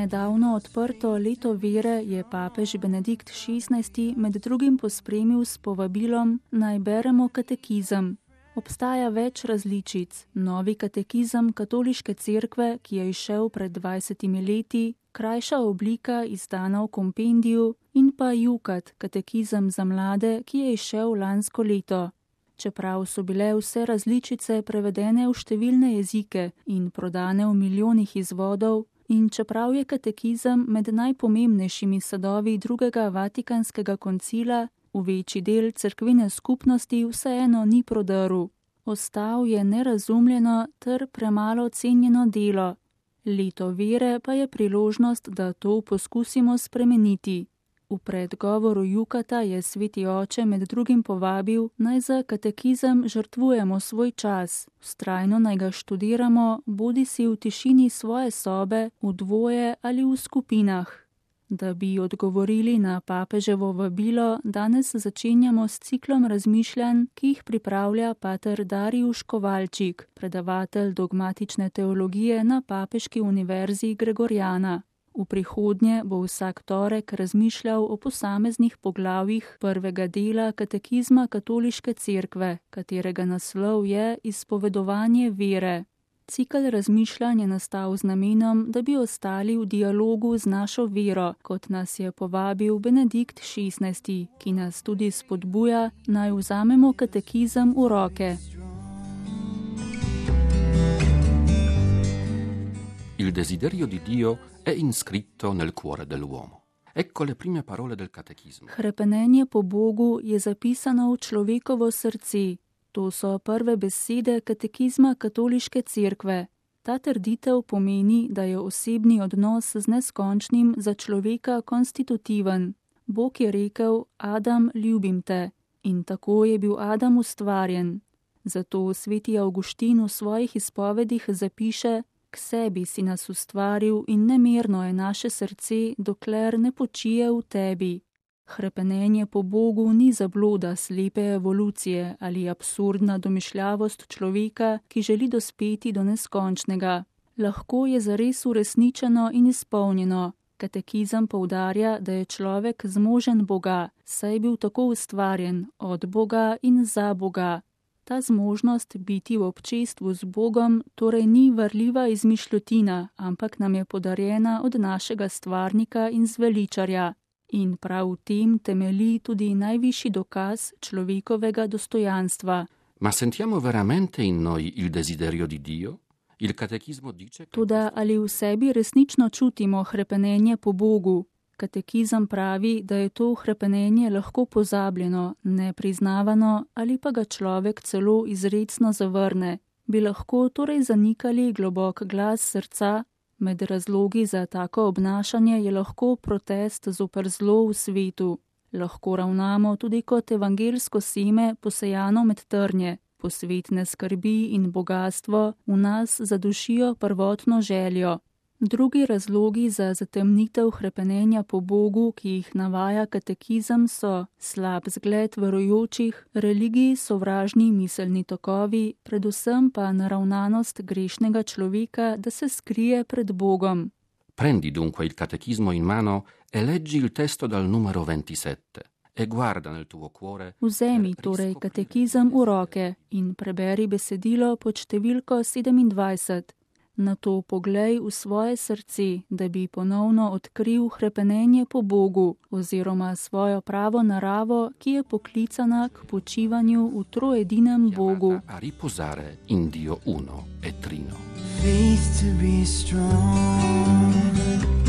nedavno odprto leto vere je papež Benedikt XVI med drugim pospremil s povabilom naj beremo katekizem. Obstaja več različic. Novi katekizem Katoliške cerkve, ki je izšel pred 20 leti, krajša oblika izdana v kompendiju, in pa Jukat, katekizem za mlade, ki je izšel lansko leto. Čeprav so bile vse različice prevedene v številne jezike in prodane v milijonih izvodov, in čeprav je katekizem med najpomembnejšimi sadovi drugega Vatikanskega koncila, v večji del cerkvene skupnosti vseeno ni prodrl. Ostal je nerazumljeno ter premalo cenjeno delo. Leto vere pa je priložnost, da to poskusimo spremeniti. V predgovoru Jukata je sveti oče med drugim povabil, naj za katekizem žrtvujemo svoj čas, vztrajno naj ga študiramo, bodisi v tišini svoje sobe, v dvoje ali v skupinah. Da bi odgovorili na papeževo vabilo, danes začenjamo s ciklom razmišljanj, ki jih pripravlja pater Darijuš Kovalčik, predavatelj dogmatične teologije na Papeški univerzi Gregoriana. V prihodnje bo vsak torek razmišljal o posameznih poglavjih prvega dela katekizma Katoliške cerkve, katerega naslov je Izpovedovanje vere. Cikel razmišljanj je nastal z namenom, da bi ostali v dialogu z našo vero, kot nas je povabil Benedikt XVI, ki nas tudi spodbuja, naj vzamemo katekizem v roke. Il desiderio di Dio è iscritto nel cuore dell'uomo. Ecco le prime parole del catechismo. Hrepenenje po Bogu je zapisano v človekovo srce. To so prve besede katekizma Katoliške cerkve. Ta trditev pomeni, da je osebni odnos z neskončnim za človeka konstitutiven. Bog je rekel: Adam, ljubim te. In tako je bil Adam ustvarjen. Zato sveti Avguštin v svojih izpovedih zapiše: K sebi si nas ustvaril in nemirno je naše srce, dokler ne počije v tebi. Hrepenenje po Bogu ni zabloda slepe evolucije ali absurdna domišljavost človeka, ki želi dospeti do neskončnega. Lahko je zares uresničeno in izpolnjeno. Katekizem poudarja, da je človek zmožen Boga, saj je bil tako ustvarjen, od Boga in za Boga. Ta zmožnost biti v občestvu z Bogom torej ni varljiva izmišljotina, ampak nam je podarjena od našega stvarnika in zveličarja. In prav v tem temelji tudi najvišji dokaz človekovega dostojanstva. Ma sentiamo veramente in noi il desiderio di Dio? Il catechismo dice... Toda ali v sebi resnično čutimo hrepenenje po Bogu? Katekizem pravi, da je to hrepenenje lahko pozabljeno, nepriznavano ali pa ga človek celo izrecno zavrne. Bi lahko torej zanikali globok glas srca? Med razlogi za tako obnašanje je lahko protest zoper zlo v svetu. Lahko ravnamo tudi kot evangelsko seme posejano med trnje. Posvetne skrbi in bogastvo v nas zadušijo prvotno željo. Drugi razlogi za zatemnitev hrepenenja po Bogu, ki jih navaja katekizem, so slab zgled verujočih, religiji sovražni miselni tokovi, predvsem pa naravnanost grešnega človeka, da se skrije pred Bogom. Prendi dunque il catechismo in mano e leggi il testo dal numero 27 e guarda nel tuo cuore. Vzemi torej katekizem v roke in preberi besedilo pod številko 27. Nato poglej v svoje srce, da bi ponovno odkril hrepenenje po Bogu oziroma svojo pravo naravo, ki je poklicana k počivanju v troedinem Bogu. A riposare in Dio uno e trino. Faith to be strong.